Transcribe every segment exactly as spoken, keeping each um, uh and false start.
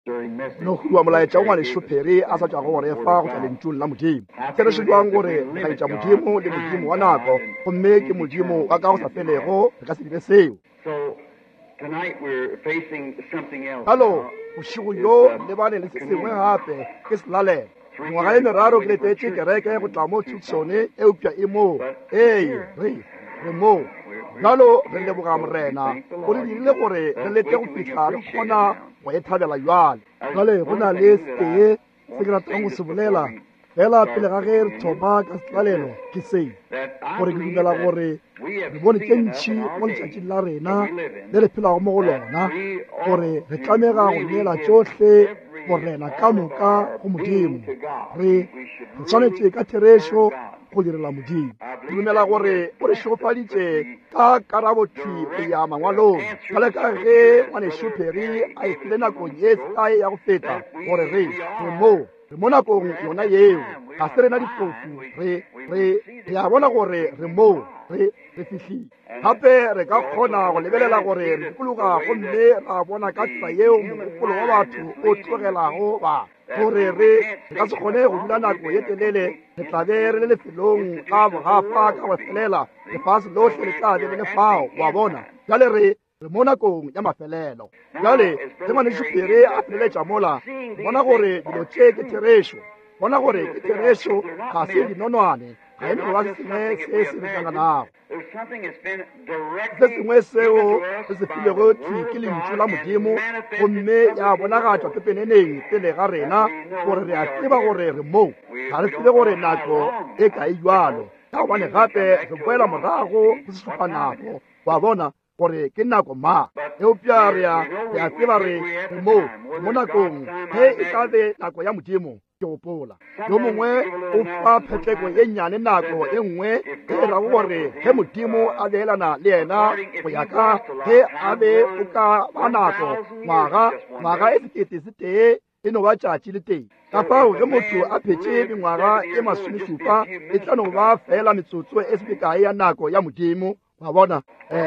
No hua molaetša o ngwanešu Perry a sa tšwago go re fa go tšwa lentšung la Modimo. Therešo jwang gore re laetša Modimo le Modimo wa nako, gomme ke Modimo wa ka go sa felego, re ka se dire seo. Bjalo bošego bjo lebane le se sengwe gape ke selalelo. Mengwaga ye meraro ke letetše kereke go tla mo Tucson, eupša e mo. Ee, re re mo. Bjalo re leboga Morena o re dirile gore re lete go fihla re kgona go e thabela bjale. Bjale go na le setee se ke ratang go se bolela fela pele ga ge re thoma ka selalelo ke se, gore ke dumela gore re bone tše ntši mo letšatšing la rena le re phelago mo go lona, gore re tlamega go neela tšohle Morena ka moka go Modimo. Re re swanetše ka therešo go direla Modimo. Ke dumela gore o re šegofaditše ka karabothwi go ya mangwalong, bjale ka ge ngwanešu Perry a e file nakong ye sekae ya go feta, gore re re mo re mo nakong yona yeo. Ga se rena difofu, re re re a bona gore re mo re re fihlile. Gape re ka kgona go lebelela gore re dikologa gomme ra bona ka tsela yeo mogopolo wa batho o tlogelago ba, gore re re ka se kgone go dula nako ye telele, re tla be re le lefelong la bogafa ka go felela, lefase lohle le tla be le le fao, wa bona. Bjale re re mo nakong ya mafelelo. Bjale ge ngwanešu Perry a feleletša mola, bona gore dilo tše ke therešo, bona gore ke therešo, ga se dinonwane, ga e no ba se sengwe se se re hlanganago. Se sengwe seo re se filego thwi ke lentšu la Modimo, gomme ya bonagatšwa pepeneneng pele ga rena, gore re a tseba gore re mo. Ga re tsebe gore nako e kae bjalo, ka gobane gape re boela morago go sešupa nako, wa bona gore ke nako mang. Eupša re a re a tseba re re mo mo nakong ge e tla be nako ya Modimo. Ke gopola yo mongwe o fa phetleko ye nnyane nako e nngwe e rago gore ge Modimo a beelana le yena go ya ka ge a be o ka ba nako ngwaga ngwaga e sekete se tee e no ba tšatši le tee. Ka fao ge motho a phetše mengwaga e masomešupa e tla no ba fela metsotso e se mekae ya nako ya Modimo, wa bona.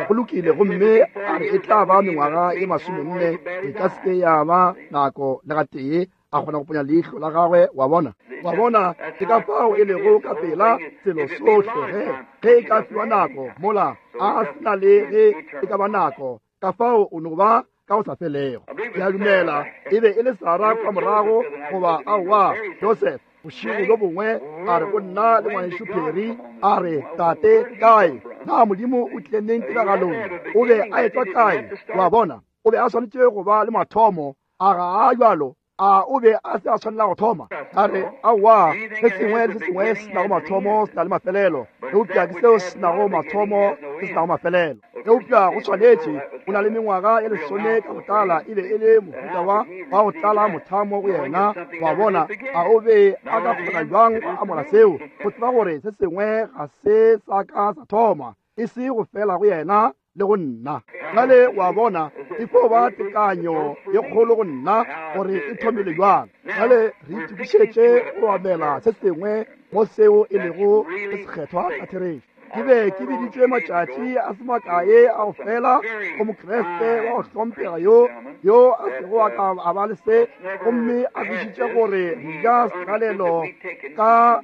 Go lokile, gomme a re e tla ba mengwaga e masomenne, e ka se ke ya ba nako le gatee a kgona go ponya leihlo la gagwe, wa bona. Wa bona, ke ka fao e lego ka pela selo sohle ge ge e ka fiwa nako mola a se na le ge e ka ba nako, ka fao o no ba ka go sa felego. Ke a dumela e be e le Sarah kwa morago, goba aowa Joseph, bošego bjo bongwe a re go nna le ngwanešu Perry, a re, tate, kae? Na Modimo o tlile neng tiragalong? O be a etšwa kae? Wa bona, o be a swanetše go ba le mathomo, a ga a bjalo? A o be a se a swanela go thoma? A re, aowa, se sengwe le se sengwe se nago mathomo se na le mafelelo, eupša ke seo se nago mathomo se se nago mafelelo. Eupša go swanetše, o na le mengwaga ye lesome ka botala, e be e le mohuta wa wa go tlala mothamo go yena, wa bona. A o be a ka kgona bjang go amola seo, go tseba gore se sengwe ga se sa ka sa thoma, e se go fela go yena le go nna. Bjale wa bona, e fo ba tekanyo ye kgolo go nna gore e thomile bjang. Bjale re itokišetše go amela se sengwe mo seo e lego se sekgethwa ka therešo. Ke be ke biditšwe matšatši a se makae a go fela go Mokriste wa go hlomphega yo yo a sego a ka a ba le se, gomme a kwešiše gore re ja selalelo ka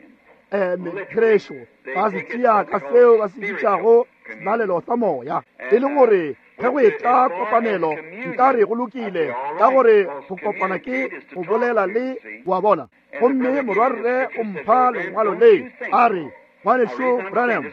therešo, ba se tšea ka seo ba se bitšago selalelo sa moya, e le gore ge go etla kopanelo nka re go lokile, ka gore go kopana ke go bolela le, wa bona. Gomme morwarre o mpha lengwalo le, a re, ngwanešu Branham,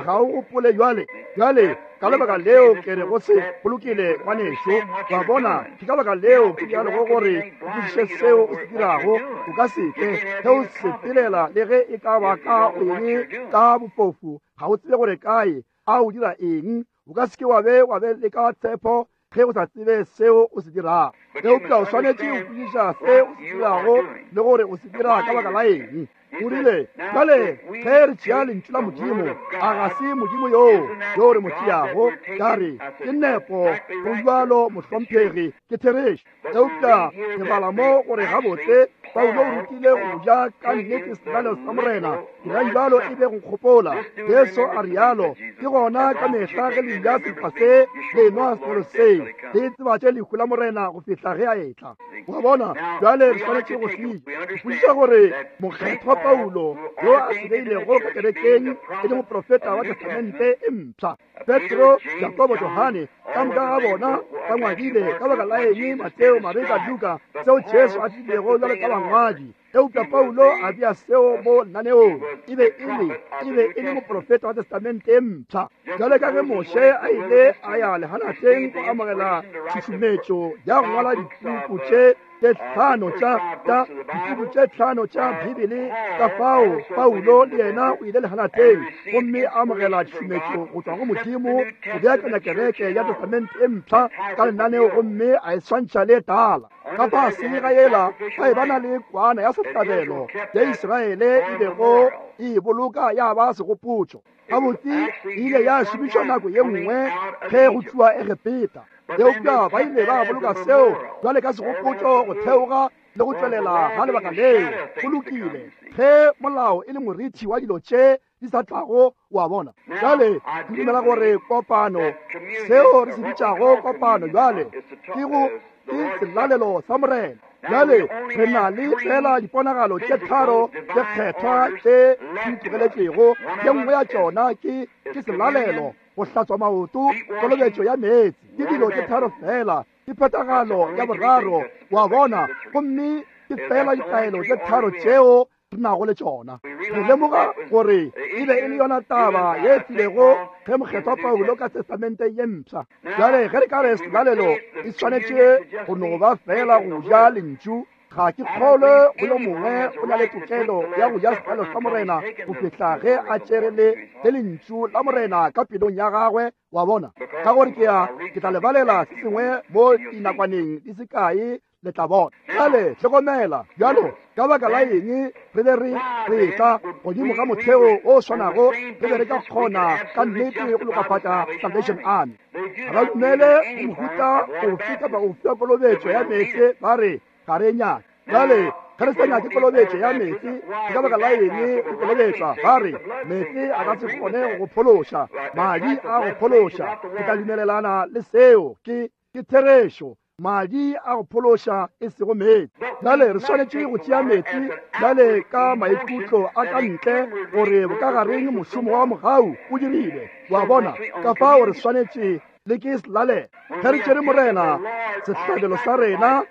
ga o gopole bjale? Bjale ka lebaka leo ke re go se go lokile, ngwanešu, wa bona. Ke ka lebaka leo ke bjalego gore o kwešiše seo o se dirago. O ka se ke ge o sepelela le ge e ka ba ka eng ka bofofu, ga o tsebe gore kae a o dira eng. O ka se ke wa be wa be le ka tshepo ge o sa tsebe seo o se dirago. Eupša o swanetše go kwešiša se o se dirago le gore o se dira ka baka la eng. O rile, bjale ge re tšea lentšu la Modimo, a ga se Modimo yoo yo re mo tšeago? Ka re, ke nepo, go bjalo mohlomphegi, ke therešo. Eupša re bala mo gore gabotse Paulo o rutile go ja ka nnete selalelo sa Morena. Dirang bjalo e be go nkgopola. Jesu a rialo. Ke gona ka mehla ge le ja senkgwa se le nwa senwelo se, le tsebatše lehu la Morena go fihla ge a etla. Wa bona, bjale re swanetše go se ipotšiša gore mokgethwa Paulo yo a se beilego ka kerekeng e le moprofeta wa Testamente e mpsha, Petro, Jakobo, Johane, ka moka ga bona ba ngwadile ka baka la eng Mateo, Mareka, Luka, seo Jesu a tlilego jwalo ka bangwadi. Eupša Paulo a bea seo mo lenaneong. E be e le e be e le moprofeta wa Testamente e mpsha. Jwale ka ge Moshe a ile a ya lehanateng go amogela tšhušumetšo ya go ngwala dipuku tše tše tlhano tša tša dipuku tše tlhano tša Bibele, ka fao Paulo le yena o ile lehanateng gomme a amogela tšhušumetšo go tšwa go Modimo go beakanya kereke ya Testamente e mpsha ka lenaneo gomme a e swantšha le tala. Ka fase ga yela ba e ba na le kwana ya sehlabelo ya Israele e bego e boloka ya ba segopotšo. Gabotse e ile ya šomišwa nako ye nngwe ge go tšwa Egepeta, eupša ba ile ba boloka seo jwale ka segopotšo go theoga le go tšwelela ga lebaka leo. Go lokile ge molao e le morithi wa dilo tše di sa tlago, wa bona. Jwale ke dumela gore kopano, seo re se bitšago kopano jwale, ke go ke selalelo sa Morena. Jwale re na le fela diponagalo tše tharo tše kgethwa tše di tlogeletšego. Ye nngwe ya tšona ke ke selalelo, go hlatswa maoto, kolobetšo ya meetse. Ke dilo tše tharo fela, ke phethagalo ya boraro, wa bona, gomme ke fela ditaelo tše tharo tšeo re nago le tšona. Re lemoga gore e be e le yona taba ye tlilego ge mokgethwa Paulo ka Testamente ye mpsha. Jwale ge re ka re selalelo e swanetše go no ba fela go ja lentšu, ga ke kgolwe go yo mongwe o na le tokelo ya go ja selalelo sa Morena go fihla ge a tšere le le lentšu la Morena ka pelong ya gagwe, wa bona. Ka gore ke ya ke tla lebalela se sengwe mo dinakwaneng di se kae, le tla bona. Jwale hlokomela, bjalo ka baka la eng re be re re tla godimo ga motheo o swanago, re be re ka kgona ka nnete go lokafatša Salvation Army. Ga ba dumele go mohuta ofe kapa ofe wa kolobetšo ya meetse, ba re ga re nyake. Jwale ge re sa nyake kolobetšo ya meetse, ke ka baka la eng re kolobetšwa? Ba re meetse a ka se kgone go phološa, madi a go phološa. Ke tla dumelelana le seo, ke ke therešo. Madi a go phološa e sego meetse. Jwale re swanetše go tšea meetse jwale ka maikutlo a ka ntle gore bokagareng mošomo wa mogau o dirile, wa bona. Ka fao re swanetše le ke selalelo. Ge re tšere Morena sehlabelo sa rena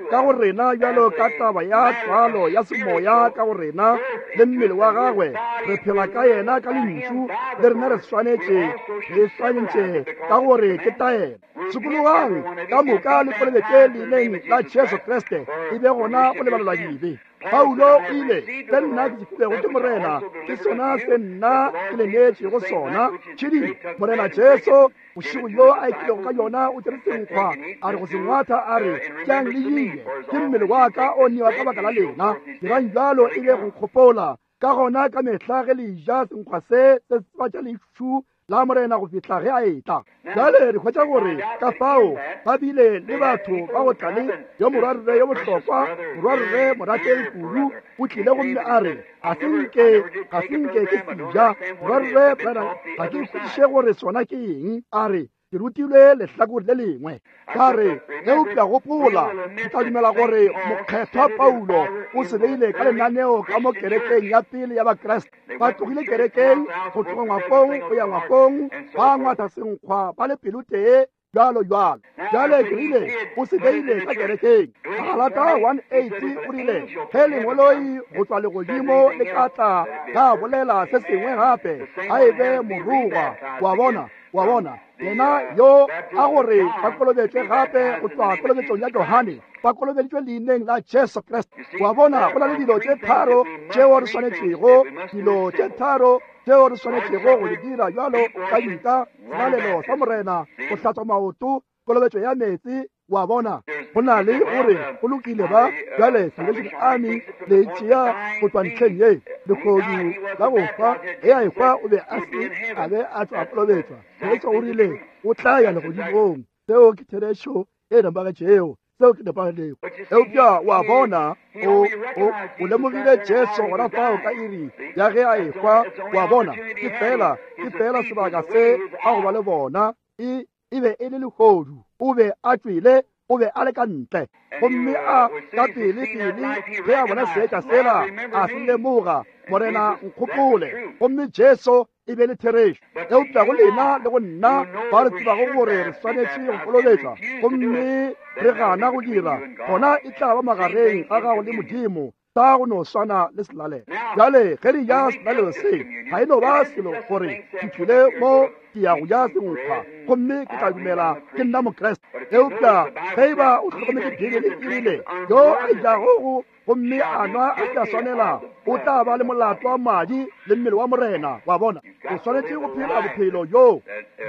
ka go rena bjalo ka taba ya tswalo ya semoya ka go rena le mmele wa gagwe, re phela ka yena ka lentšu, le rena re swanetše re swanetše ka gore ke taelo. Sokologang ka moka le kolobetše leineng la Jesu Kriste, e be gona go lebalelwa dibe. Paulo o ile, se nna ke se filwego ke Morena ke sona se nna ke le neetšego sona. Tšhidi Morena Jesu bošego yo a ekilego ka yona o tšere senkgwa, a re go se ngwatha, a re tšeang le je, ke mmele wa ka o newa ka baka la lena. Dirang bjalo e be go nkgopola. Ka gona ka mehla ge le ja senkgwa se se tsebatša lešu la Morena go fihla ge a etla. Jwale re hwetša gore ka fao ba bile le batho ba go tla le yo morwarre yo bohlokwa, morwarre morategi kudu, o tlile gomme a re ga se nke ga se nke ke se ja. Morwarre Branham, ga ke kwešiše gore sona ke eng. A re ke rutilwe lehlakore le lengwe. Ka re eupša gopola, ke tla dumela gore mokgethwa Paulo o se beile ka lenaneo ka mo kerekeng ya pele ya Bakriste. Ba tlogile kerekeng go tloga ngwakong go ya ngwakong, ba ngwatha senkgwa ba le pelotee, jwalo jwalo. Jwale ke rile o se beile ka kerekeng. Galata one eight o rile ge lengoloi go tšwa legodimo le ka tla la bolela se sengwe gape, a e be morongwa, wa bona, wa bona. Yena yo a gore ba kolobetšwe gape go tšwa kolobetšong ya Johane, ba kolobeditšwe leineng la Jesu Kriste. Wa bona, go na le dilo tše tharo tšeo re swanetšego, dilo tše tharo tšeo re swanetšego go di dira bjalo ka dika, selalelo sa Morena, go hlatswa maoto, kolobetšo ya meetse, wa bona. Go na le gore go lokile ba bjale Salvation Army le tšea go tšwa ntlheng ye lehodu la go hwa, ge a ehwa o be a se a be a tšwa kolobetšwa. Jesu o rile o tla ya legodimong. Seo ke therešo e nepagetšego. Seo ke nepagalego. Eupša wa bona, o, o, o lemogile Jesu gona fao ka iri ya ge a ekwa. Wa bona, ke fela, ke fela sebaka se a go ba le bona. E, e be e le lehodu. O be a tšwele, o be a le ka ntle. Gomme a ka pele pele ge a bona seetša sela, a se lemoga, Morena nkgopole. Gomme Jesu e be le therešo. Eupša go lena le go nna ba re tsebago gore re swanetše go kolobetšwa, gomme re gana go dira, gona e tla ba magareng ga gago le Modimo, ta go no swana le selalelo. Bjale ge re ja selalelo se, ga e no ba selo gore ke tlile mo ke ya go ja senkgwa, gomme ke tla dumela ke nna Mokriste. Eupša ge e ba o hlokometse Bibele e rile, yo a jago go gomme a nwa a sa swanela, o tla ba le molato wa madi le mmele wa Morena. Wa bona, o swanetše go phela bophelo yo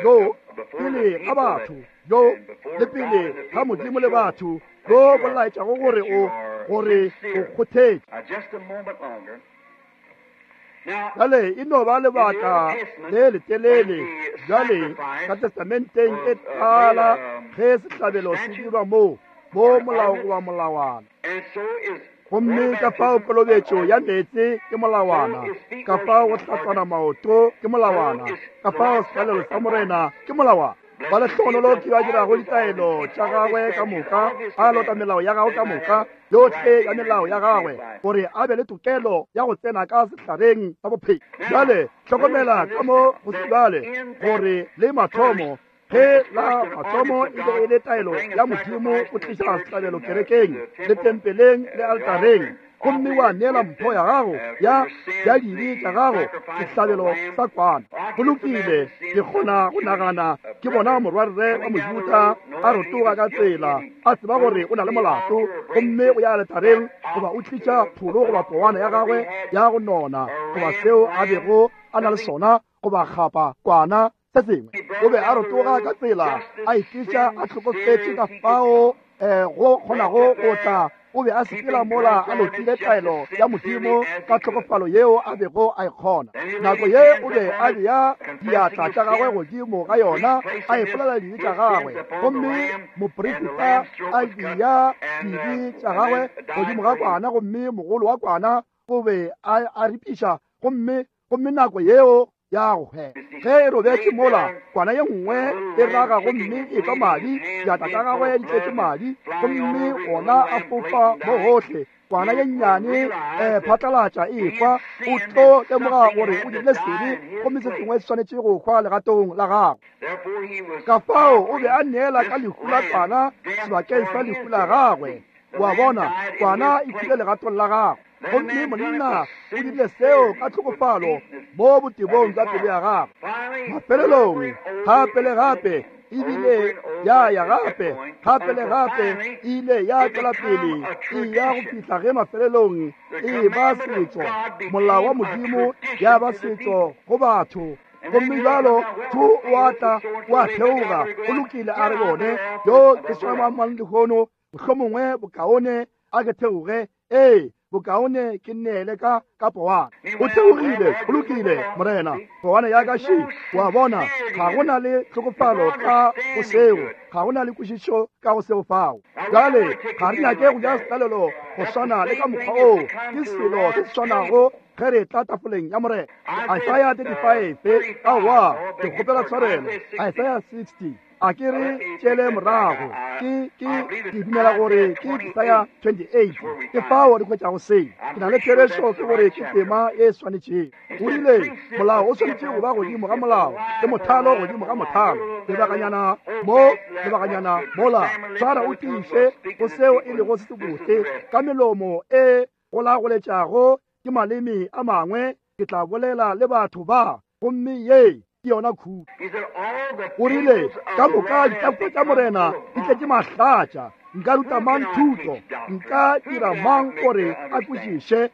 yo pele ga batho, yo le pele ga Modimo le batho, yo bo laetšago gore o gore o kgothetše. Bjale e no ba lebaka le letelele. Bjale ka testamenteng e tala ge sehlabelo se dirwa mo mo molao goba molawana. Gomme ka fao kolobetšo ya meetse ke molawana, ka fao go hlatswana maoto ke molawana, ka fao selalelo sa Morena ke molawana. Ba lehlogonolo ke ba dirago ditaelo tša gagwe ka moka, a lota melao ya gagwe ka moka, yohle ya melao ya gagwe, gore a be le tokelo ya go tsena ka sehlareng sa bophelo. Bjale hlokomela ka mo go se bjale gore le mathomo, ge la mathomo e be e le taelo ya Modimo o tliša sehlabelo kerekeng le tempeleng le altareng, gomme wa neela mpho ya gago ya ya dibe tša gago sehlabelo sa kwana. Go lokile, ke kgona go nagana ke bona morwarre wa Mojuda a rotoga ka tsela, a tseba gore o na le molato, gomme o ya aletareng goba o tliša pholo goba powana ya gagwe ya go nona goba seo a bego a na le sona, goba kgapa kwana se sengwe. O be a rotoga ka tsela, a itliša a hlokofetše ka fao um go kgonago go tla. O be a sepela mola a lotile taelo ya Modimo ka tlhokofalo yeo a bego a e kgona. Nako ye o be a bea diatla tša gagwe godimo ga yona, a ipolela dibe tša gagwe, gomme moprista a bea dibe tša gagwe godimo ga kwana, gomme mogolo wa kwana o be a a ripiša, gomme gomme nako yeo ya go hwela. Ge e robetše mola, kwana ye nngwe e raga gomme e tšwa madi, diatla tša gagwe di tletše madi, gomme ona a fofa mo gohle. Kwana ye nnyane um phatlalatša e hwa, o tlo lemoga gore o dirile sebe, gomme se sengwe se swanetše go hwa legatong la gagwe. Ka fao o be a neela ka lehu la kwana sebakeng sa lehu la gagwe. Wa bona, kwana e hwile legatong la gagwe. Gomme monna o dirile seo ka tlhokofalo mo botebong bja pelo ya gagwe. Mafelelong gape le gape ebile ya ya gape gape le gape e ile ya tšwela pele e ya go fihla ge mafelelong e ba setšo, molao wa Modimo ya ba setšo go batho. Gomme bjalo tho o a tla o a theoga, go lokile, a re bone yo ke swana mang lehono, mohlomongwe bokaone a ke theoge, ee bokaone ke neele ka ka powana. O theogile, go lokile, Morena, powana ya ka še. Wa bona, ga go na le tlhokofalo ka go seo, ga go na le kwešišo ka go seo fao. Bjale ga re nyake go ja selalelo go swana le ka mokgwa oo, ke selo se se swanago ge re tla tafoleng ya Morena. Isaiah thirty-five, aowa, ke kgopela tshwarelo, Isaiah sixty. A ke re tšele morago, ke ke ke dumela gore ke Isaiah twenty-eight, ke fao re hwetšago se. Ke na le therešo ke gore ke tema e swanetšego. O rile molao o swanetše go ba godimo ga molao, le mothalo godimo ga mothalo, lebakanyana mo, lebakanyana mola. Tshwara o tiiše go seo e lego se sebotse ka melomo e golagoletšago ke maleme a mangwe, ke tla bolela le batho ba, gomme ye ke yona khudu. O rile ka moka ditafola tša Morena di tletše mahlatša, nka ruta mang thuto, nka dira mang gore a kwešiše?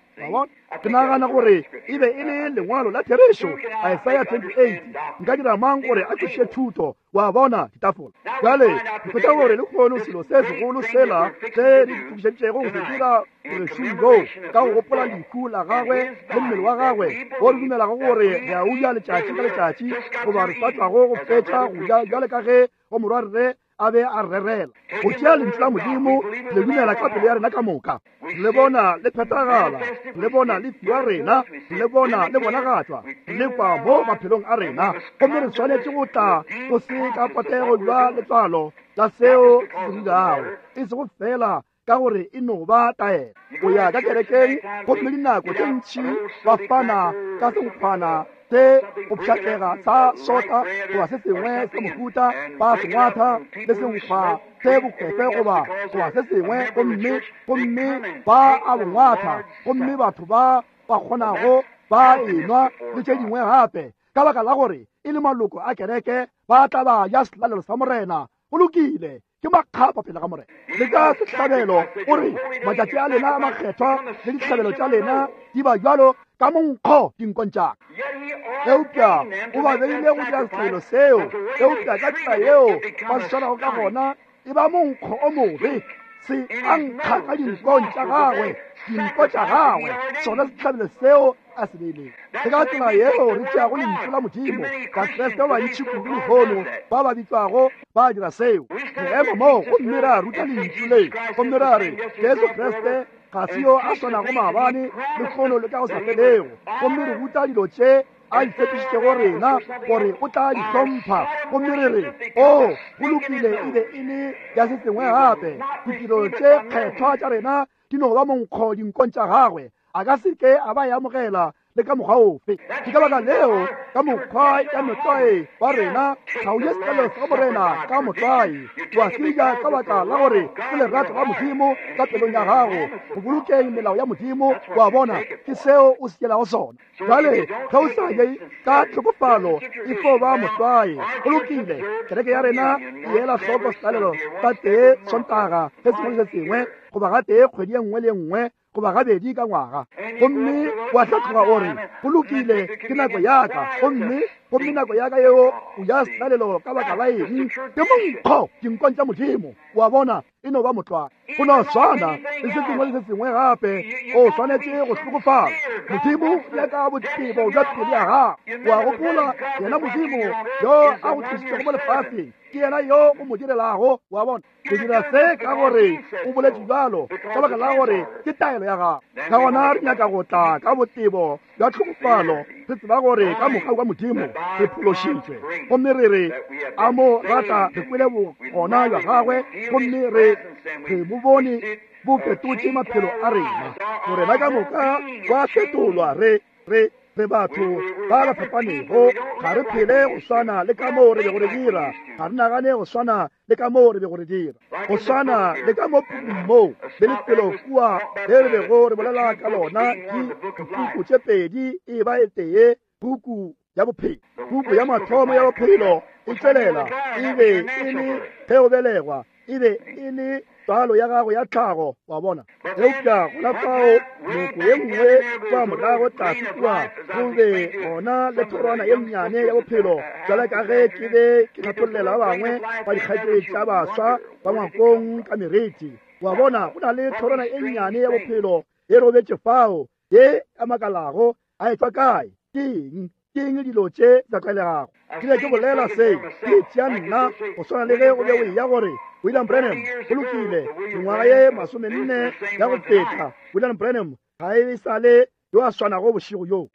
Ke nagana gore e be e le lengwalo la therešo, Isaiah twenty-eight, nka dira mang gore a kwešiše thuto? Wa bona ditafola. Bjale ke hwetša gore lehono selo se segolo sela se re itokišeditšego go se dira bošegong bjo, ka go gopola lehu la gagwe le mmele wa gagwe, wo re dumelago gore re a o ja letšatši ka letšatši, goba re sa tšwago go fetša go ja bjale ka ge go morwarre a be a rerela. Go tšea lentšu la Modimo le dumela ka pelo ya rena ka moka, le bona le phethagala, le bona le fiwa rena, le bona le bonagatšwa, le kwa mo maphelong a rena. Gomme re swanetše go tla go se ka potego jwa letswalo la seo se dirago, e sego fela ka gore e no ba taelo. O ya ka kerekeng gomme dinako tše ntši ba fana ka senkgwana se go pšhatlega sa sota goba se sengwe sa mohuta, ba sengwatha le senkgwa se bokwefe goba goba se sengwe, gomme gomme ba a bongwatha, gomme batho ba ba kgonago ba enwa le tše dingwe gape, ka baka la gore e le maloko a kereke ba tla ba ja selalelo sa Morena. Go lokile, ke makgapa pele ga Morena. Le ka sehlabelo o re matšatši a lena a makgethwa le dihlabelo tša lena di ba bjalo ka monkgo dinkong tša ka. Eupša o ba beile go dira sehlabelo seo, eupša ka tsela yeo ba se swarago ka gona e ba monkgo o mobe, se a nkga ka dinkong tša gagwe, dinko tša gagwe, sona sehlabelo seo a se beilego. Ke ka tsela yeo re tšeago lentšu la Modimo. Bakriste ba bantši kudu lehono ba ba bitšwago ba dira seo. Re ema moo gomme ra ruta lentšu le, gomme ra re Jesu Kriste ga se yo a swanago maabane lehono le ka go sa felego, gomme re ruta dilo tše a di tshepišitšego rena gore o tla di hlompha, gomme re re o go lokile e be e le ya se sengwe gape. Ditiro tše kgethwa tša rena di no ba monkgo dinkong tša gagwe, a ka se ke a ba e amogela le ka mokgwa ofe. Ke ka baka leo ka mokgwa ya motlwae wa rena ga o je sehlabelo sa Morena ka motlwae, wa se ja ka baka la gore ke lerato la Modimo ka pelong ya gago go bolokeng melao ya Modimo. Wa bona, ke seo o se tšelago sona. Jwale ge o sa je ka tlhokofalo e fo ba motlwae. Go lokile, kereke ya rena e ela hloko selalelo ka tee Sontaga se sengwe le se sengwe, goba ga tee kgwedi ye nngwe le ye nngwe, goba gabedi ka ngwaga. Gomme wa hlatloga o re go lokile, ke nako ya ka, gomme gomme nako ya ka yeo o ja selalelo ka baka la eng? Ke monkgo dinkong tša Modimo. Wa bona, e no ba motlwae. Go no swana le se sengwe le se sengwe gape, o swanetše go hlokofala. Modimo nyaka botebo bja pelo ya gago. Wa gopola yena Modimo yo a go tlišitšego mo lefaseng, ke yena yo o mo direlago. Wa bona, ke dira se ka gore o boletše bjalo, ka baka la gore ke taelo ya gago. Ka gona re nyaka go tla ka botebo bja tlhokofalo, re tseba gore ka mogau wa Modimo re phološitšwe, gomme re re a mo rata, re kwele bogona bja gagwe, gomme re re bo bone bo fetotše maphelo a rena, gore ba ka moka ba fetolwa. Re re re batho ba ba fapanego, ga re phele go swana le ka moo re bego re dira, ga re nagane go swana le ka moo re bego re dira, go swana le ka mo pukung moo le lefelo kua le re bego re bolela ka lona, ke dipuku tše pedi e ba e tee, puku ya bophelo. Puku ya mathomo ya bophelo e tšwelela e be e le ge o belegwa, e be e le tswalo ya gago ya tlhago, wa bona. Eupša gona fao noko ye nngwe kwa morago tlase kua go be gona le thorwana ye nnyane ya bophelo, jwale ka ge ke be ke hlathollela ba bangwe ba dikgaetšedi tša baswa ba ngwakong ka meriti. Wa bona, go na le thorwana e nnyane ya bophelo e robetše fao ye a makalago a etšwa kae, ke eng, ke eng dilo tše di sa tlwaelegago. Ke be ke bolela se ke tšea nna go swana le ge o be o eya gore William Branham go lokile, mengwaga ye masomenne ya go feta, William Branham ga e sa le yo a swanago bošego yo.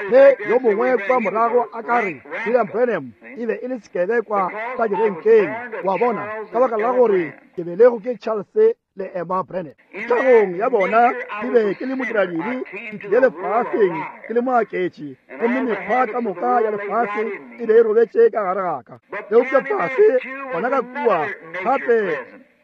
Ge yo mongwe kwa morago a ka re William Branham e be e le sekebekwa sa direnkeng, wa bona, ka baka la gore ke belego ke Charles le Emma Branham. Tlhagong ya bona ke be ke le modiradibe, ke tlile lefaseng ke le moaketši, gomme mekgwa ka moka ya lefase e be e robetše ka gare ga ka. Eupša fase gona ka kua gape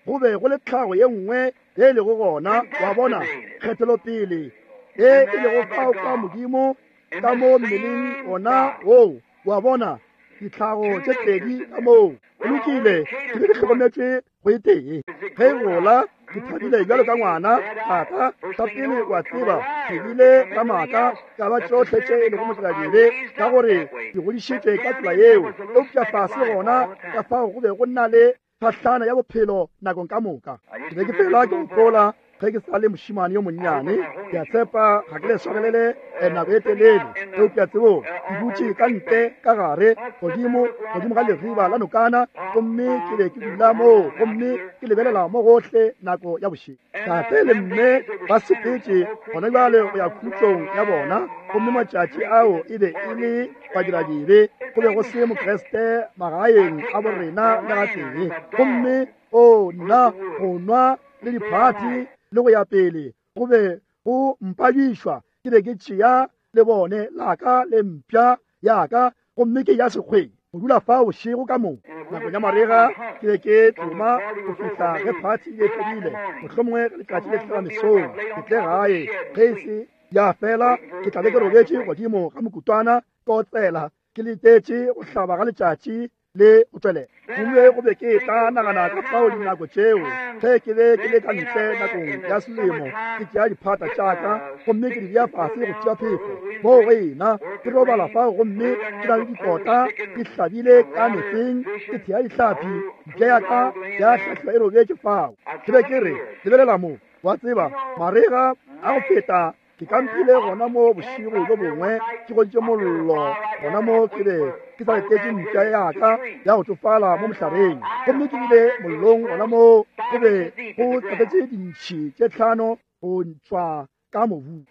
go be go le tlhago ye nngwe ye e lego gona, wa bona, kgethelopele ye e lego fao ka Modimo ka mo mmeleng ona woo, wa bona, ditlhago tše pedi ka moo. Go lokile, ke be ke hlokometšwe go e tee. Ge e gola ke thabile bjalo ka ngwana. Tata sa pele wa tseba ke bile ka maaka ka ba tšohle tše e lego modiradibe, ka gore ke godišitšwe ka tsela yeo. Eupša fase gona ka fao go be go na le tlhahlana ya bophelo nakong ka moka. Ke be ke fela ke gopola Ge ke sa le mošemane yo monnyane, ke a tshepa ga ke le swarelele nako e telele, eupša tsebo ke dutše ka ntle ka gare godimo godimo ga leriba la nokana, gomme ke be ke dula moo gomme ke lebelela mo gohle nako ya bošego. Tate le mme ba sepetše gona bjale go ya khutšong ya bona, gomme matšatši ao e be e le badiradibe, go be go se Mokriste magaeng a borena le gatee. Gomme o nna go nwa le diphathi le go ya pele go be go mpadišwa, ke be ke tšea le bone laka le mpša yaka gomme ke ya sekgweng go dula fa bošego ka moo. Nakong ya marega ke be ke tsoma go fihla ge phathi e fedile, mohlomongwe letšatši le hlaba mesong, ke tle gae. Ge e se ya fela ke tla be ke robetše godimo ga mokutwana ke otsela ke letetše go hlaba ga letšatši le go tšwelela. Gomme go be ke tla nagana ka fao dinako tšeo ge ke be ke le ka ntle nakong ya selemo, ke tšea diphata tša ka gomme ke di bea fase go tšea phefo moo go ena, ke robala fao gomme ke na le dikota ke hlabile ka metseng, ke thea dihlapi, mpša ya ka ya hlahliwa e robetše fao. Ke be ke re, lebelela mo, wa tseba marega a go feta ke kampile gona mo bošego bjo bongwe, ke goditše mollo gona mo, ke be ke sa letetše mpša ya ka ya go tsofala mo mohlareng, gomme ke bile mollong gona mo, go be go tlatetše dintšhi tše tlhano go ntšwa ka mobu.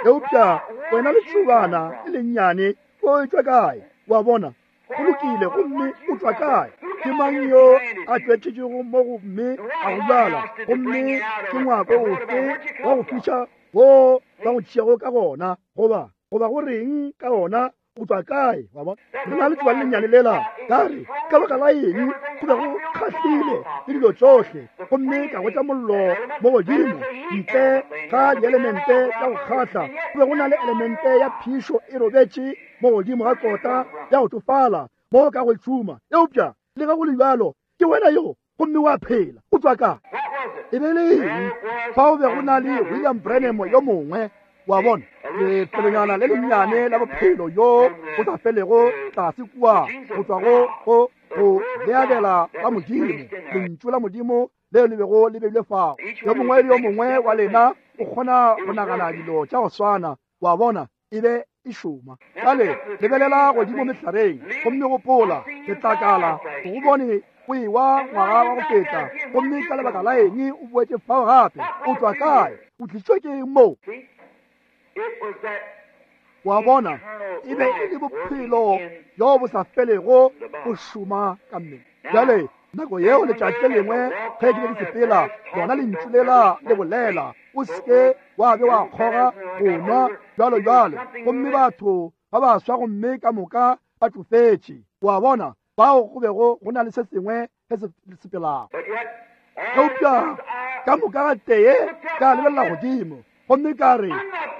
Eupša wena letšobana le lennyane o tšwa kae? Wa bona, go lokile, gomme o tšwa kae? Ke mang yo a tšwetšego mo gomme a go bjala? Gomme ke ngwako ofe wa go fiša wo ba go tšeago ka gona, goba goba go reng ka ona? O tšwa kae? Wa bona, re na le tšoba le lennyane lela. Ka re, ka baka la eng go be go kgahlile le dilo tšohle, gomme ka gotša mollo mo godimo ntle ga dielemente tša go kgahla, go be go na le elemente ya phišo e robetše mo godimo ga kota ya go tsofala mo ka go tšhuma. Eupša le ge go le bjalo, ke wena yo gomme wa phela. O tšwa kae? E be le eng? Fao be go na le William Branham yo mongwe, wa bona, lefelonyana le lennyane la bophelo yo go sa felego tlase kua go tšwa go go go leabela la Modimo, lentšu la Modimo leo le bego le beilwe fao. Yo mongwe le yo mongwe wa lena o kgona go nagana dilo tša go swana, wa bona, e be e šoma. Bjale lebelela godimo mehlareng gomme gopola letlakala go bone o ewa ngwaga wa go feta, gomme ka lebaka la eng o boetše fao gape? O tšwa kae? O tlišitšwe ke eng mo? Wa bona, e be e le bophelo bjo bo sa felego go šoma ka mmele. Bjale nako yeo letšatši le lengwe ge ke be ke sepela, lona lentšu lela le bolela, o seke wa be wa kgoga go nwa bjalo bjalo, gomme batho ba baswa gomme ka moka ba tsofetše. Wa bona, bao go bego go na le se sengwe se se sepelago. Eupša ka moka ga tee ka lebelela godimo gomme ka re,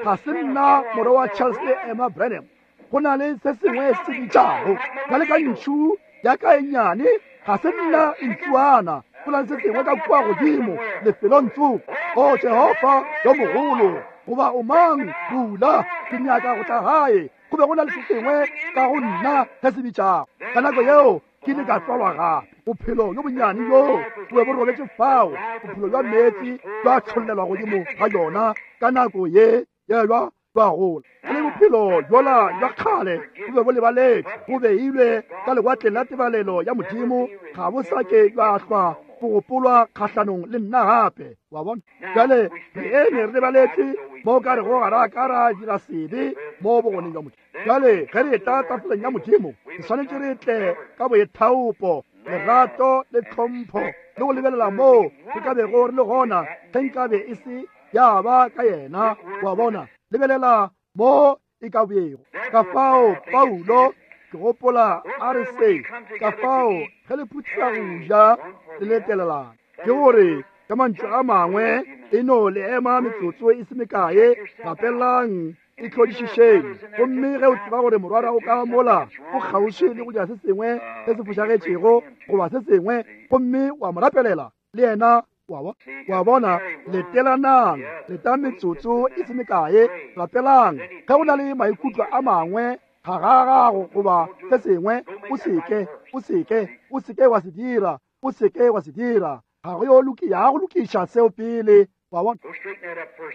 ga se nna morwa wa Charles le Emma Branham, go na le se sengwe se bitšago ka le ka ntšhu ya ka e nnyane, ga se nna ntšuana, go na le se sengwe ka kua godimo lefelong tsoko. O Jehofa yo mogolo, goba o mang, bula, ke nyaka go tla gae. Go be go na le se sengwe ka go nna se se bitšago. Ka nako yeo ke ile ka tswalwa gape. Bophelo bjo bonnyane bjo bo be bo robetše fao, bophelo bja meetse bja tšhollelwa godimo ga yona ka nako ye ya bja bja gola. Le bophelo bjola bja kgale bo be bo lebaletšwe, bo beilwe ka lewatleng la tebalelo ya Modimo, ga bo sa ke bja hlwa bo gopolwa kgahlanong le nna gape. Wa bona, bjale re eme re lebaletše mo ka rego ga ra ka ra dira sebe mo bogoneng bja Modimo. Bjale ge re etla tafoleng ya Modimo, re swanetše re tle ka boithaopo, lerato le tlhompho, le go lebelela moo re ka bego re le gona ge nkabe e se ya ba ka yena. Wa bona, lebelela mo e ka bego. Ka fao Paulo ke gopola a re se, ka fao ge le phutha go ja le letelelana, ke gore ka mantšu a mangwe e no le ema metsotso e se mekae, rapelang, e tlhodišišeng. Gomme ge o tseba gore morwara o ka mola o kgauswi le go dira se sengwe se se fošagetšego goba se sengwe, gomme wa mo rapelela le yena, wa wa bona, letelanang, leta metsotso e se mekae, rapelang. Ge go na le maikutlo a mangwe ga ga gago goba se sengwe, o seke o seke o seke wa se dira, o seke wa se dira. Ga go yo loki ya go lokiša seo pele, Wa bona?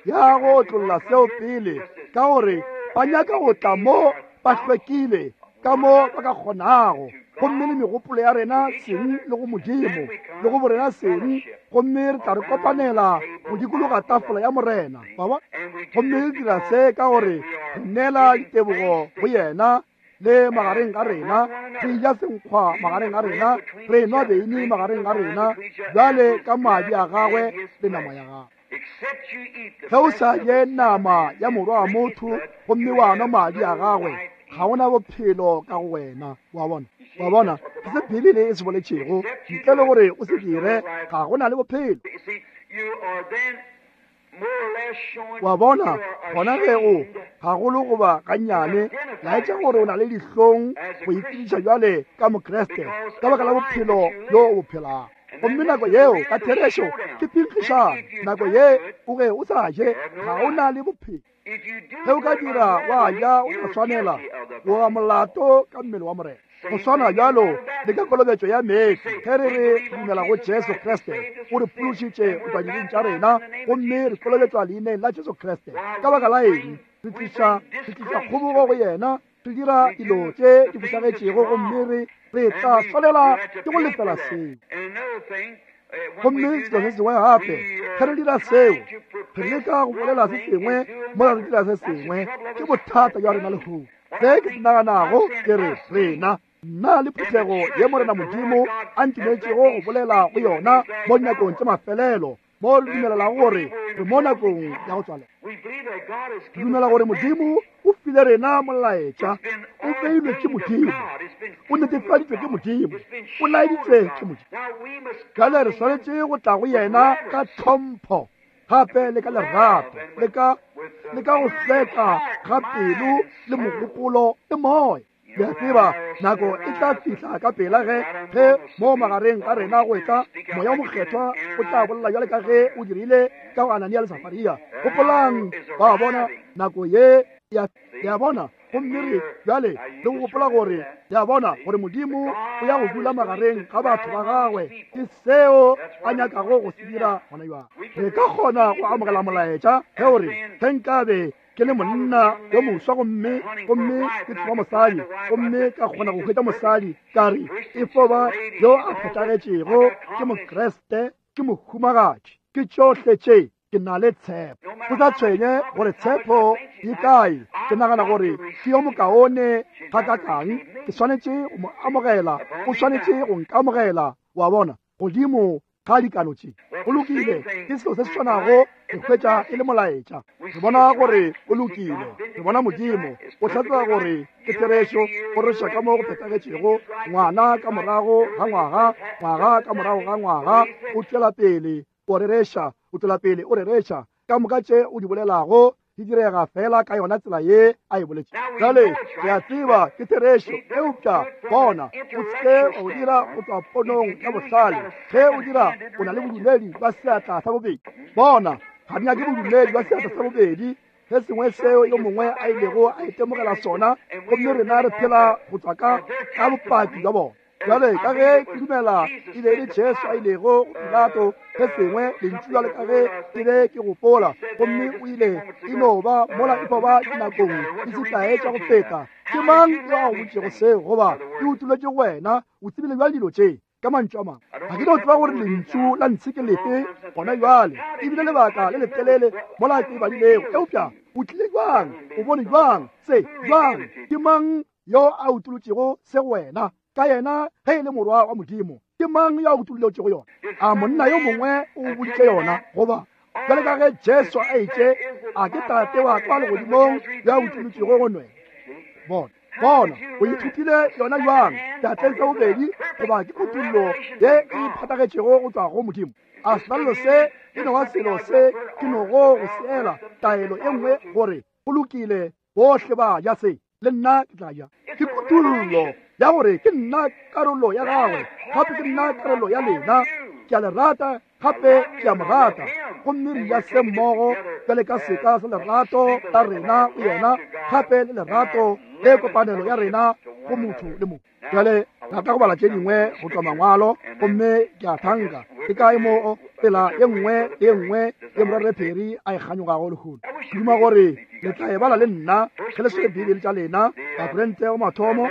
Ya go otlolla seo pele, ka gore ba nyaka go tla mo ba hlwekile ka mo ba ka kgonago, gomme le megopolo ya rena seng le go Modimo le go borena seng, gomme re tla re kopanela go dikologa tafola ya Morena. Wa bona? Gomme re dira se ka gore re neela ditebogo go yena le magareng ga rena, re ja senkgwa magareng ga rena, re nwa beine magareng ga rena, bjale ka madi a gagwe le nama ya gagwe. Ge o sa je nama ya morwa wa motho gomme wa nwa madi a gagwe, ga ona bophelo ka go wena. Wa bona? Wa bona? Ke se Bibele e se boletšego, ntle le gore o se dire, ga go na le bophelo. Wa bona? Gona ge o gagolo goba gannyane laetša gore o na le dihlong go itsebiša bjale ka Mokriste ka baka la bophelo bjo o bo phelago. Gomme nako yeo ka therešo ke pinkgišano. Nako ye o ge o sa je, ga o na le bophelo. Ge o ka dira wa ja o sa swanela, wa molato ka mmele wa Morena. Go swana bjalo le ka kolobetšo ya meetse, ge re re dumela go Jesu Kriste, o re phološitše go tšwa dibeng tša rena, gomme re kolobetšwa leineng la Jesu Kriste. Ka baka la eng? Re tliša re tliša kgobogo go yena, re dira dilo tše di fošagetšego, gomme re re tla swanela ke go lefela seo. Gomme selo se sengwe gape, ge re dira seo, re leka go bolela se sengwe mola re dira se sengwe. Ke bothata bja rena lehono. Se ke se naganago ke re rena, nna le phuthego ye Morena Modimo a ntumetšego go bolela go yona mo dinakong tše mafelelo, mo re dumelelago gore re mo nakong ya go tswalela. Re dumela gore Modimo o file rena molaetša, o beilwe ke Modimo, o netefaditšwe ke Modimo, o laeditšwe ke Modimo. Bjale re swanetše go tla go yena ka tlhompho, gape le ka lerato, le ka le ka go hlweka ga pelo le mogopolo le moya. Le a tseba nako e tla fihla ka pela ge ge mo magareng ga rena go etla Moya o Mokgethwa o tla bolela bjale ka ge o dirile ka go Anania le Safaria. Gopolang, ba bona nako ye ya ya bona, gomme re bjale le go gopola gore ya bona gore Modimo o ya go dula magareng ga batho ba gagwe. Ke seo a nyakago go se dira gona bjale. Re ka kgona go amogela molaetša ge o re ge nkabe ke le monna yo moswa gomme gomme ke tsoma mosadi, gomme ka kgona go hwetša mosadi, ka re e fo ba yo a phethagetšego, ke Mokriste, ke mohumagadi, ke tšohle tše, ke na le tshepo. Go sa tshwenye gore tshepo e kae, ke nagana gore ke yo mokaone gakakang, ke swanetše go mo amogela, o swanetše go nkamogela. Wa bona? Godimo ga dikano tše. Go lokile, ke selo se se swanago re hwetša e le molaetša. Re bona gore o lokile, re bona Modimo o hlatsela gore ke therešo, o reša ka mo go phethagetšego, ngwana ka morago ga ngwaga, ngwaga ka morago ga ngwaga, o tšwela pele o rereša, o tšwela pele o rereša. Ka moka tše o di bolelago di direga fela ka yona tsela ye a e boletše. Bjale re a tseba ke therešo, eupša bona o se o dira go tšwa ponong ya bohlale. Ge o dira, o na le bodumedi bja seatla sa bobedi. Bona, ga di nyake bodumedi bja seatla sa bobedi, se sengwe seo yo mongwe a ilego a itemogela sona, gomme rena re phela go tšwa ka ka bopaki bja bona. Bjale ka ge ke dumela e be e le Jesu a ilego go Pilato se sengwe lentšu bjale ka ge ke be ke gopola, gomme o ile e no ba mola e fo ba dinakong di se kae tša go feta. Ke mang yo a go botšego seo, goba ke utolotše go wena? O tsebile bjale dilo tše ka mantšu a mangwe. Ga ke no tseba gore lentšu la ntshe ke lefe gona bjale, ebile lebaka le letelele mola ke badilego, eupša o tlile bjang, o bone bjang se bjang? Ke mang yo a utolotšego se go wena? Ka yena ge e le morwa wa Modimo, ke mang yo a utolotšego yona? A monna yo mongwe o boditše yona? Goba bjale ka ge Jesu a itše, a ke Tate wa kwa legodimong yo a utolotšego go wena? Bona, bona, o ithutile yona bjang? Seatleng sa bobedi, goba ke kutollo ye e phatlagetšego go tšwa go Modimo? A selalelo se e no ba selo se ke nogo go seela taelo e nngwe gore go lokile, bohle ba ja se, le nna ke tla ja. Ke kutollo ya gore ke nna karolo ya gagwe, gape ke nna karolo ya lena. Ke a le rata, gape ke a mo rata, gomme re ja se mmogo bjale ka seka sa lerato la rena go yena, gape le lerato le kopanelo ya rena go motho le motho. Bjale rata go bala tše dingwe go tšwa mangwalo, gomme ke a thanka Ke kae mo tsela ye nngwe le ye nngwe ye Morwarre Perry a e kganyogago lehono? Ke duma gore le tla e bala le nna ge le swere Bibele tša lena, Bakorinte go mathomo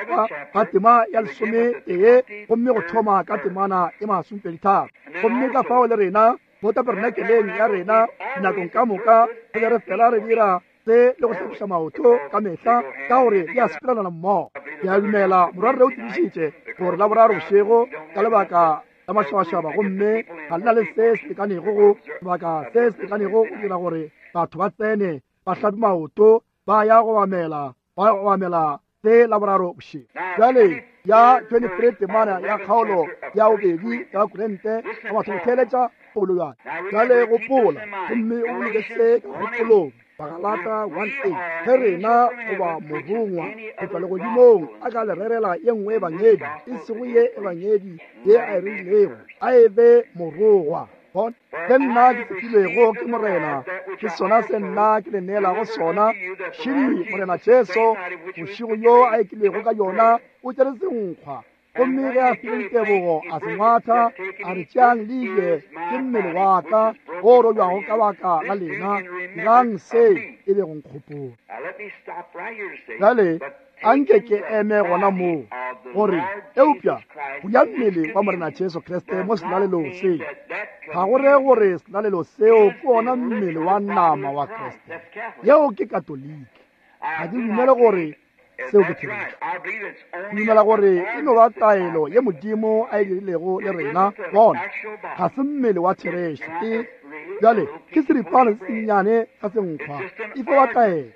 ga tema ya lesometee gomme go thoma ka temana e masomepedi tharo. Gomme ka fao le rena mo tabernakeleng ya rena dinakong ka moka re be re fela re dira se le go hlapiša maoto ka mehla ka gore di a sepelana mmogo. Ke a dumela morwarre o tsebišitše gore Laboraro bošego ka lebaka la mašabašaba gomme ga le na le se se lekanego go sebaka se se lekanego go dira gore batho ba tsene ba hlape maoto ba ya go obamela ba obamela se Laboraro bošego. Bjale ya twenty-three temana ya kgaolo ya bobedi ya Bakorinte ka batho go theeletša paulo bjale. Bjale gopola gomme o boloke se ka kgopolong. Bagalata one eight ge rena goba morongwa go tšwa legodimong a ka le rerela ye nngwe ebangedi e sego ye ebangedi ye a e rerilego, a e be morongwa. Bona, ge nna ke tsepilwego ke Morena, ke sona se nna ke le neelago sona. Šidi Morena Jesu bošego yo a ekilwego ka yona o tšere senkgwa, gomme ge a file ditebogo a se ngwatha a re, tšeang le je, ke mmele wa ka o robjago ka baka la lena, dirang se e be go nkgopola. Bjale anke ke eme gona moo gore eupša go ya mmele wa Morena Jesu Kriste mo selalelong se ga go re gore selalelo seo ke ona mmele wa nama wa Kriste. Yeo ke Katoliki. Ga ke dumele gore seo ke therešo. Ke dumela gore e no ba taelo ye Modimo a e dirilego le rena. Bona, ga se mmele wa therešo. Ke bjale ke seripana se sennyane sa senkgwa, e fo ba taelo.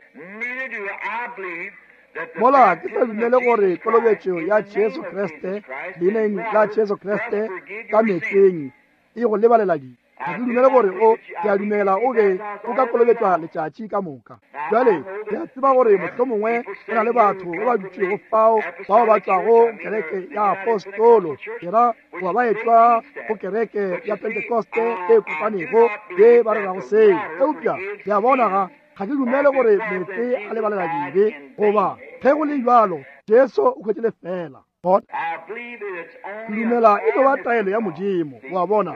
Mola ke sa dumele gore kolobetšo ya Jesu Kriste leineng la Jesu Kriste ka meetseng e go lebalela dibe. Ga ke dumele gore o, ke a dumela o be o ka kolobetšwa letšatši ka moka. Bjale ke a tseba gore mohlomongwe go na le batho ba ba dutšego fao bao ba tšwago kereke ya apostolo, ke ra goba ba etšwa go kereke ya Pentekoste e kopanego ye ba rerago seo. Eupša ke a bona ga ga ke dumele gore meetse a lebalela dibe, goba ge go le bjalo Jesu o hwetše lefela. Ke dumela e no ba taelo ya Modimo, wa bona,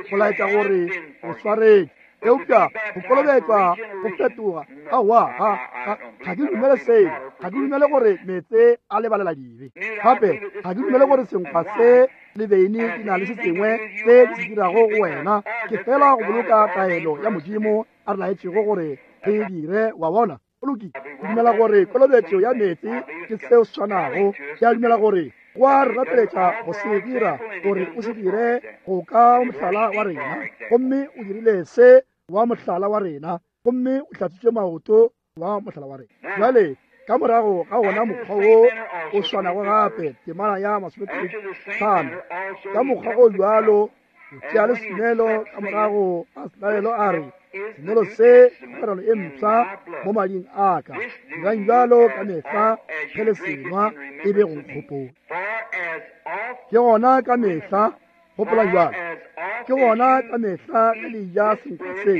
go laetša gore o swaretše. Eupša go kolobetšwa go fetoga, aowa, ga ga ke dumele seo. Ga ke dumele gore meetse a lebalela dibe. Gape ga ke dumele gore senkgwa se le beine di na le se sengwe se di se dirago go wena. Ke fela go boloka taelo ya Modimo a re laetšego gore re e dire, wa bona. Go lokile. Ke dumela gore kolobetšo ya meetse ke seo se swanago. Ke a dumela gore go a re rapeletša go se dira, gore o se dire go ka mohlala wa rena, gomme o dirile se wa mohlala wa rena, gomme o hlatswitše maoto wa mohlala wa rena. Bjale ka morago ga wona mokgwa wo o swanago gape, temana ya masomepedi tlhano, ka mokgwa o bjalo o tšea le senwelo ka morago ga selalelo a re, senwelo se ke kgwerano e mpsha mo mading a ka, dirang bjalo ka mehla ge le senwa e be go nkgopola. Ke gona ka mehla, gopola bjalo, ke gona ka mehla ge le ja senkgwa se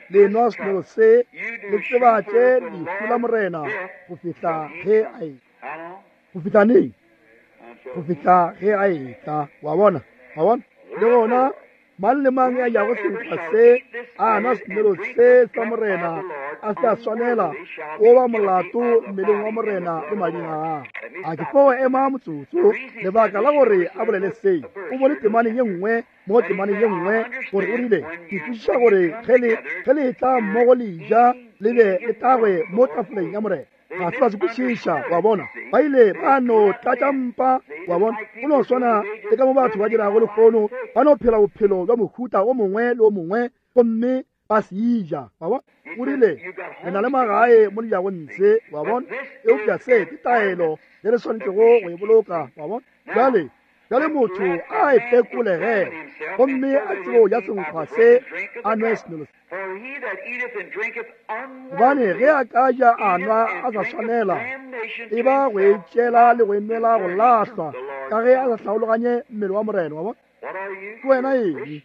le nwa senwelo se, le tsebatše lehu la Morena go fihla ge a etla. Go fihla neng? Go fihla ge a etla. Wa bona, wa bona. Le gona mang le mang ya jago senkgwa se a nwa senwelo se sa Morena a se a swanela, o ba molato mmeleng wa Morena le mading a gagwe. A ke fo ema motsotso, lebaka la gore a bolele se o bone temaneng ye nngwe mo temaneng ye nngwe gore o rile, ke kwešiša gore ge le ge le etla mmogo le ja le be le tagwe mo tafoleng ya Morena. Ga se ba se kwešiša, wa bona. Ba ile ba no tlatša mpa, wa bona. Go no swana le ka mo batho ba dirago lehono, ba no phela bophelo bja mohuta o mongwe le o mongwe gomme ba se ja, wa bona. O rile, re na le magae mo le jago ntshe, wa bona, eupša se ke taelo ye re swanetšego go e boloka, wa bona. Bjale bjale motho a e fekolege gomme a tsebe go ja senkgwa se a nwe senwelo se. Gobane ge a ka ja a nwa a sa swanela, e ba go e tšela le go e nwela go lahlwa, ka ge a sa hlaologanye mmele wa Morena, wa bona. Ke wena eng?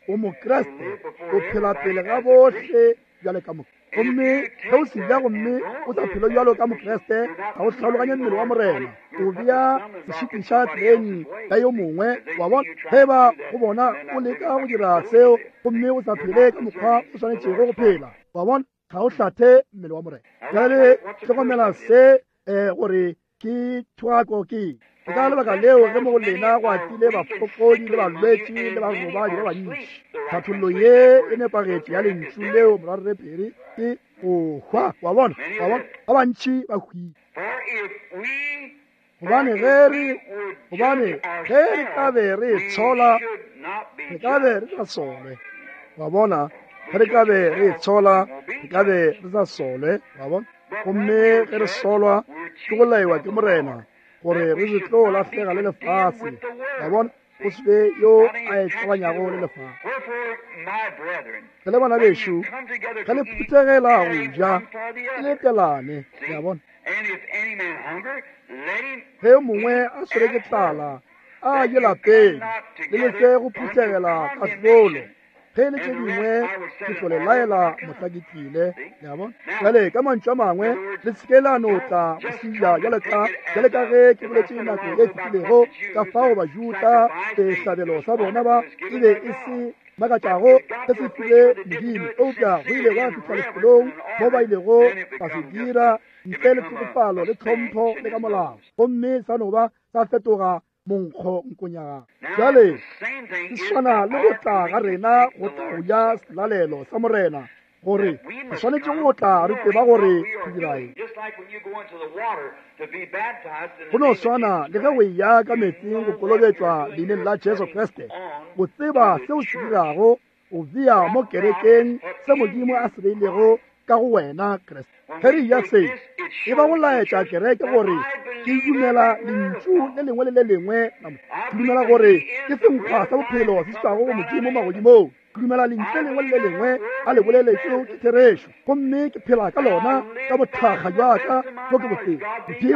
O Mokriste, o phela pele ga bohle bjale ka moka. Gomme ge o se ja gomme o sa phele bjalo ka Mokriste, ga o tlhaloganye mmele wa Morena, o bea sešitiša tseleng ya yo mongwe. Wa bona, ge ba go bona o leka go dira seo gomme o sa phele ka mokgwa o swanetšego go phela, wa bona, ga o hlathe mmele wa Morena. Bjale hlokomela se um gore ke thwako ke ka lebaka leo ge mo go lena go atile bafokodi le balwetši le barobadi ba bantši. Tlhathollo ye e nepagetše ya lentšu leo morwarre Pere ke go hwa. Wa bona, wa bona, ba bantši ba hwile. Gobane ge re gobane ge re ka be re itshola, re ka be re sa solwe. Wa bona, ge re ka be re itshola, re ka be re sa solwe. Wa bona, gomme ge re solwa ke go laiwa ke Morena gore re se tlo lahlega le lefase. Wa bona, go se be yo a e tlabanyago le lefase. Ge le bana bešo, ge le phuthegela go ja, le letelane. Le a bona? Ge yo mongwe a swere ke tlala, a ye lapeng, le lese go phuthegela kahlolo. Ge le tše dingwe ke tlo le laela mohla ke tlile. Le a bona? Bjale ka mantšu a mangwe, le se ke la no tla go seja bjale ka bjale ka ge ke boletše nako e fetilego ka fao Bajuda sehlabelo sa bona ba e be e se makatšago se se file Modimo, eupša go ile gwa fihla lefelong mo ba ilego ba se dira ntle le tlhokofalo le tlhompho le ka molao, gomme sa no ba sa fetoga monkgo nkonyaga. Bjale se swana le go tla ga rena go tla go ja selalelo sa Morena, gore re swanetše go tla re tseba gore re dira eng. Go no swana le ge o eya ka meetseng go kolobetšwa leineng la Jesu Kriste, o tseba seo se dirago, o bea mo kerekeng se Modimo a se beilego ka go wena Kriste. Ge re ja se, e ba go laetša kereke gore ke dumela lentšu le lengwe le le lengwe la Modimo. Ke dumela gore ke senkgwa sa bophelo se se tšwago go Modimo magodimong. Ke dumela lentšu le lengwe le le lengwe a le boleletšego ke therešo, gomme ke phela ka lona ka bothakga bja ka bjo ke bo tseba,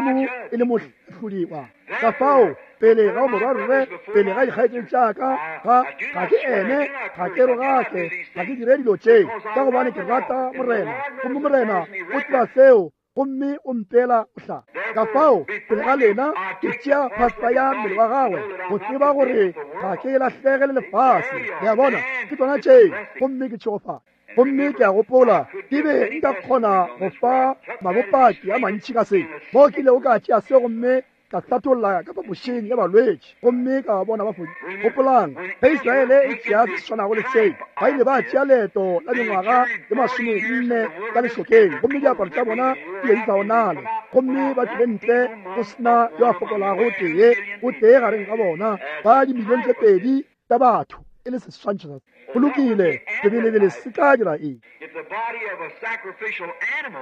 Modimo e le mohlodi wa ka. Fao pele ga morwarre, pele ga dikgaetšedi tša ka, ga ga ke ene, ga ke rogake, ga ke dire dilo tše, ka gobane ke rata Morena, gomme Morena o tseba seo, gomme o mpeela mohla. Ka fao pele ga lena ke tšea phasta ya mmele wa gagwe go tseba gore ga ke lahlege le lefase. Le a bona, ke tsona tše, gomme ke tšhegofatše. Gomme ke a gopola ke be nka kgona go fa mabopaki a mantši ka se, mo ke ilego ka tšea se gomme ka hlatholla ka phapošing ya balwetši, gomme ka ba bona ba fodile. Gopolang, ge Israele e tšea se swanago le se, ba ile ba tšea leeto la mengwaga ye masomenne ka lešokeng, gomme diaparo tša bona di be di sa onale, gomme ba tlile ntle go sena yo a fokolago tee o tee gareng ga bona ba dimilione tše pedi tša batho, e le seswantšho sa go lokile. Lebelebele se tla dira eng?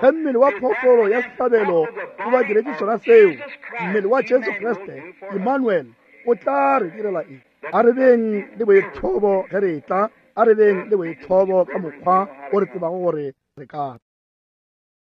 Ge mmele wa phoofolo ya sehlabelo o ba diretše sona seo, mmele wa Jesu Kriste Emmanuel o tla re direla eng? A re beng le boithobo ge re tla, a re beng le boithobo ka mokgwa o re tsebago gore re ka.